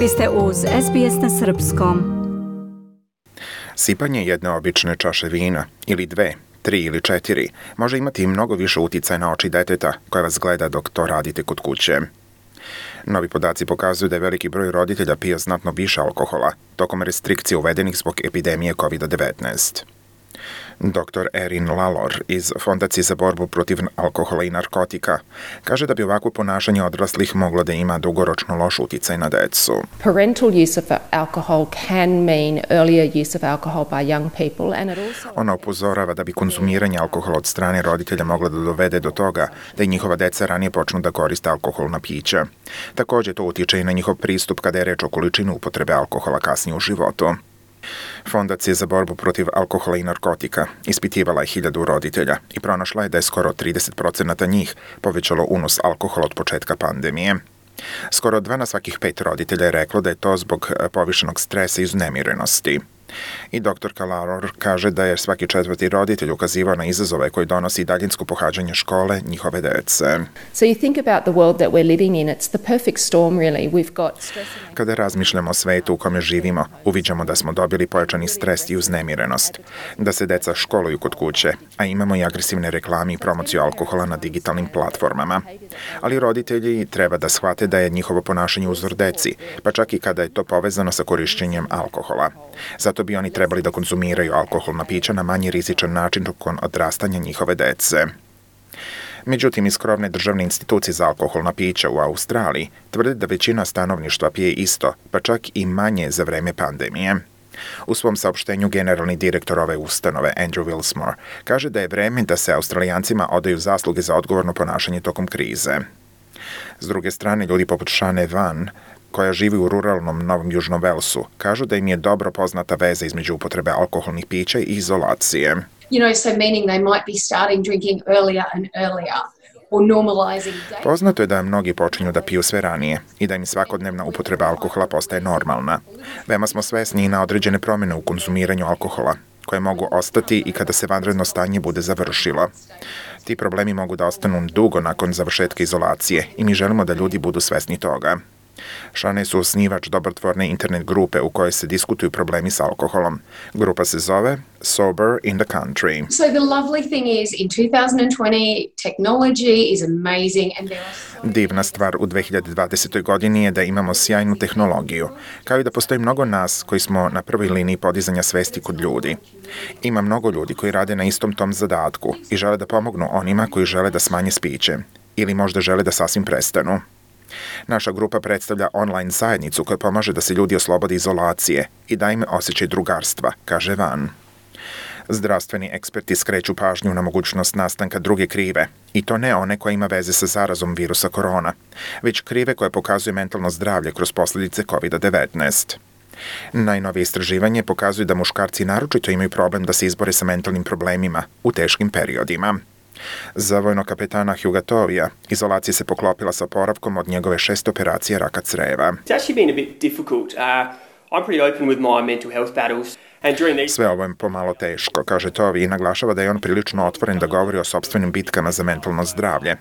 Vi ste uz SBS na Srpskom. Sipanje jedne obične čaše vina, ili 2, 3 ili 4, može imati mnogo više uticaja na oči deteta koje vas gleda dok to radite kod kuće. Novi podaci pokazuju da je veliki broj roditelja pio znatno više alkohola tokom restrikcija uvedenih zbog epidemije COVID-19. Dr. Erin Lalor iz Fondacije za borbu protiv alkohola i narkotika kaže da bi ovakvo ponašanje odraslih moglo da ima dugoročno loš uticaj na decu. Parental use of alcohol can mean earlier use of alcohol by young people and it also... Ona upozorava da bi konzumiranje alkohola od strane roditelja moglo da dovede do toga da i njihova deca ranije počnu da koriste alkoholna pića. Također to utiče i na njihov pristup kada je reč o količini upotrebe alkohola kasnije u životu. Fondacija za borbu protiv alkohola i narkotika ispitivala je 1000 roditelja i pronašla je da je skoro 30% njih povećalo unos alkohola od početka pandemije. Skoro 2 na svakih 5 roditelja je reklo da je to zbog povišenog stresa i uznemirenosti. I dr. Lalor kaže da je svaki 4. roditelj ukazivao na izazove koji donosi daljinsko pohađanje škole njihove dece. So you think about the world that we're living in, it's the perfect storm really. We've got stress. Kada razmišljamo o svetu u kome živimo, uviđamo da smo dobili pojačani stres i uznemirenost, da se deca školuju kod kuće, a imamo i agresivne reklame i promociju alkohola na digitalnim platformama. Ali roditelji treba da shvate da je njihovo ponašanje uzor deci, pa čak i kada je to povezano sa korišćenjem alkohola. Zato bi oni trebali da konzumiraju alkoholna pića na manje rizičan način tokom odrastanja njihove dece. Međutim, iz krovne državne institucije za alkoholna pića u Australiji tvrde da većina stanovništva pije isto, pa čak i manje za vreme pandemije. U svom saopštenju generalni direktor ove ustanove, Andrew Wilsmore, kaže da je vreme da se Australijancima odaju zasluge za odgovorno ponašanje tokom krize. S druge strane, ljudi poput Shane Van, koja živi u ruralnom Novom Južnom Velsu, kažu da im je dobro poznata veza između upotrebe alkoholnih pića i izolacije. So meaning they might be starting drinking earlier and earlier or normalizing. Poznato je da mnogi počinju da piju sve ranije i da im svakodnevna upotreba alkohola postaje normalna. Veoma smo svesni i na određene promjene u konzumiranju alkohola, koje mogu ostati i kada se vanredno stanje bude završilo. Ti problemi mogu da ostanu dugo nakon završetka izolacije i mi želimo da ljudi budu svesni toga. Shane su osnivač dobrotvorne internet grupe u kojoj se diskutuju problemi s alkoholom. Grupa se zove Sober in the Country. So the lovely thing is in 2020 technology is amazing and there are... Divna stvar u 2020. godini je da imamo sjajnu tehnologiju, kao i da postoji mnogo nas koji smo na prvoj liniji podizanja svesti kod ljudi. Ima mnogo ljudi koji rade na istom tom zadatku i žele da pomognu onima koji žele da smanje spiće ili možda žele da sasvim prestanu. Naša grupa predstavlja online zajednicu koja pomaže da se ljudi oslobode izolacije i da im osjećaj drugarstva, kaže Van. Zdravstveni eksperti skreću pažnju na mogućnost nastanka druge krive, i to ne one koja ima veze sa zarazom virusa korona, već krive koje pokazuje mentalno zdravlje kroz posljedice COVID-19. Najnovije istraživanje pokazuje da muškarci naročito imaju problem da se izbore sa mentalnim problemima u teškim periodima. Za vojnog kapetana Huga Tovija, izolacija se poklopila sa oporavkom od njegove 6 operacije raka creva. Sve ovo je pomalo teško, kaže Tovi i naglašava da je on prilično otvoren da govori o sopstvenim bitkama za mentalno zdravlje.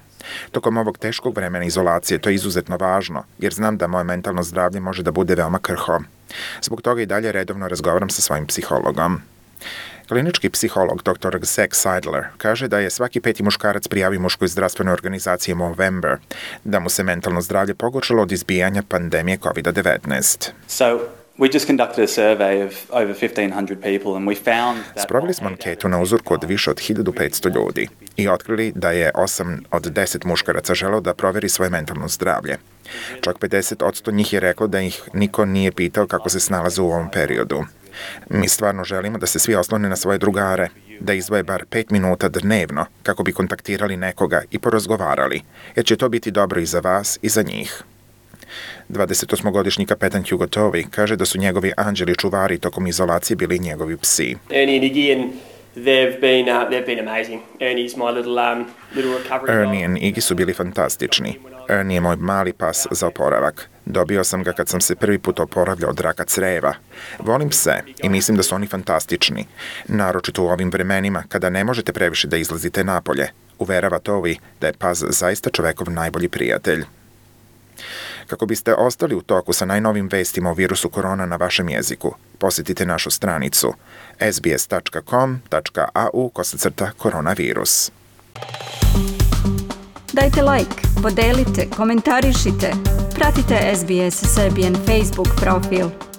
Tokom ovog teškog vremena izolacije to je izuzetno važno, jer znam da moje mentalno zdravlje može da bude veoma krhko. Zbog toga i dalje redovno razgovaram sa svojim psihologom. Klinički psiholog dr. Zach Seidler kaže da je svaki 5. muškarac prijavio muškoj zdravstvenoj organizaciji Movember da mu se mentalno zdravlje pogoršalo od izbijanja pandemije COVID-19. We just conducted a survey of over 1,500 people and we found that... Sproveli smo anketu na uzorku od više od 1500 ljudi i otkrili da je 8 od 10 muškaraca želeo da proveri svoje mentalno zdravlje. Čak 50% njih je reklo da ih niko nije pitao kako se snalaze u ovom periodu. Mi stvarno želimo da se svi oslone na svoje drugare, da izdvoje bar 5 minuta dnevno kako bi kontaktirali nekoga i porazgovarali, jer će to biti dobro i za vas i za njih. 28-godišnji kapetan Hugo Tovey kaže da su njegovi anđeli čuvari tokom izolacije bili njegovi psi. Ernie and Iggy and they've been amazing. Ernie's my little recovery. Ernie and Iggy su bili fantastični. Ernie je moj mali pas za oporavak. Dobio sam ga kad sam se prvi put oporavljao od raka creva. Volim pse i mislim da su oni fantastični. Naročito u ovim vremenima kada ne možete previše da izlazite napolje. Uverava Tovey da je pas zaista čovekov najbolji prijatelj. Kako biste ostali u toku sa najnovim vestima o virusu korona na vašem jeziku, posjetite našu stranicu sbs.com.au/koronavirus. Dajte like, podelite, komentarišite. Pratite SBS Serbian Facebook profil.